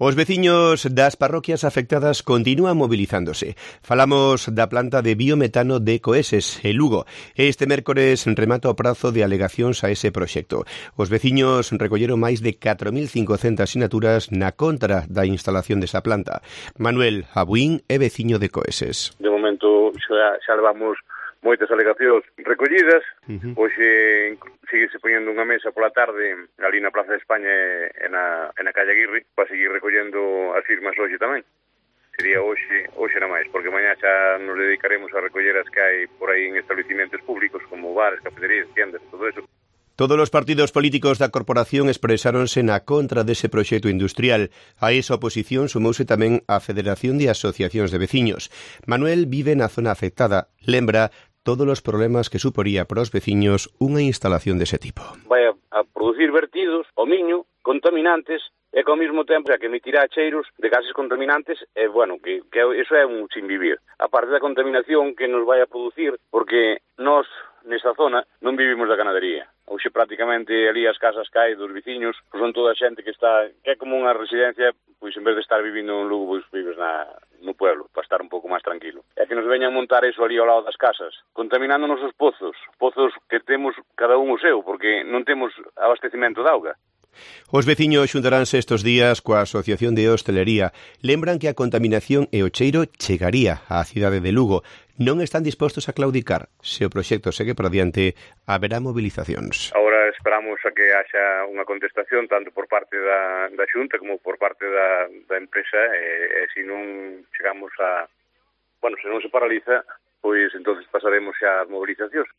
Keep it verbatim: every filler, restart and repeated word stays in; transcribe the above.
Os veciños das parroquias afectadas continúan mobilizándose. Falamos da planta de biometano de Coeses, en Lugo. Este mércores remata o prazo de alegacións a ese proxecto. Os veciños recolleron máis de catro mil cincocentas sinaturas na contra da instalación desa planta. Manuel Abuín é veciño de Coeses. De momento xa, xa levamos moitas alegacións recollidas. Uh-huh. Hoxe síguese poñendo unha mesa pola tarde ali na Plaza de España e na, e na calle Aguirre para seguir recollendo as firmas hoxe tamén. Sería hoxe, hoxe na máis, porque mañá xa nos dedicaremos a recoller as que hai por aí en establecimentos públicos como bares, cafeterías, tiendas, todo eso. Todos os partidos políticos da corporación expresáronse na contra dese proxecto industrial. A esa oposición sumouse tamén a Federación de Asociacións de Veciños. Manuel vive na zona afectada. Lembra todos os problemas que suporía para os veciños unha instalación dese tipo. Vai a, a producir vertidos ao miño, contaminantes, e que ao mesmo tempo que emitirá cheiros de gases contaminantes, e bueno, que, que eso é un sin vivir. A parte da contaminación que nos vai a producir, porque nós nesta zona non vivimos da ganadería. Hoxe prácticamente ali as casas que hai dos veciños pois son toda a xente que está, que é como unha residencia, pois en vez de estar vivindo en Lugo, pois vives na, no pueblo, para estar un pouco máis tranquilo. É que nos veñan montar eso ali ao lado das casas, contaminando nosos pozos, pozos que temos cada un o seu, porque non temos abastecimento de auga. Os veciños xuntaránse estes días coa Asociación de Hostelería. Lembran que a contaminación e o cheiro chegaría á cidade de Lugo. Non están dispostos a claudicar. Se o proxecto segue por adiante, haberá movilizacións. Agora esperamos a que haxa unha contestación tanto por parte da, da Xunta como por parte da, da empresa e, e se non chegamos a... Bueno, se non se paraliza, pois entonces pasaremos xa as movilizacións.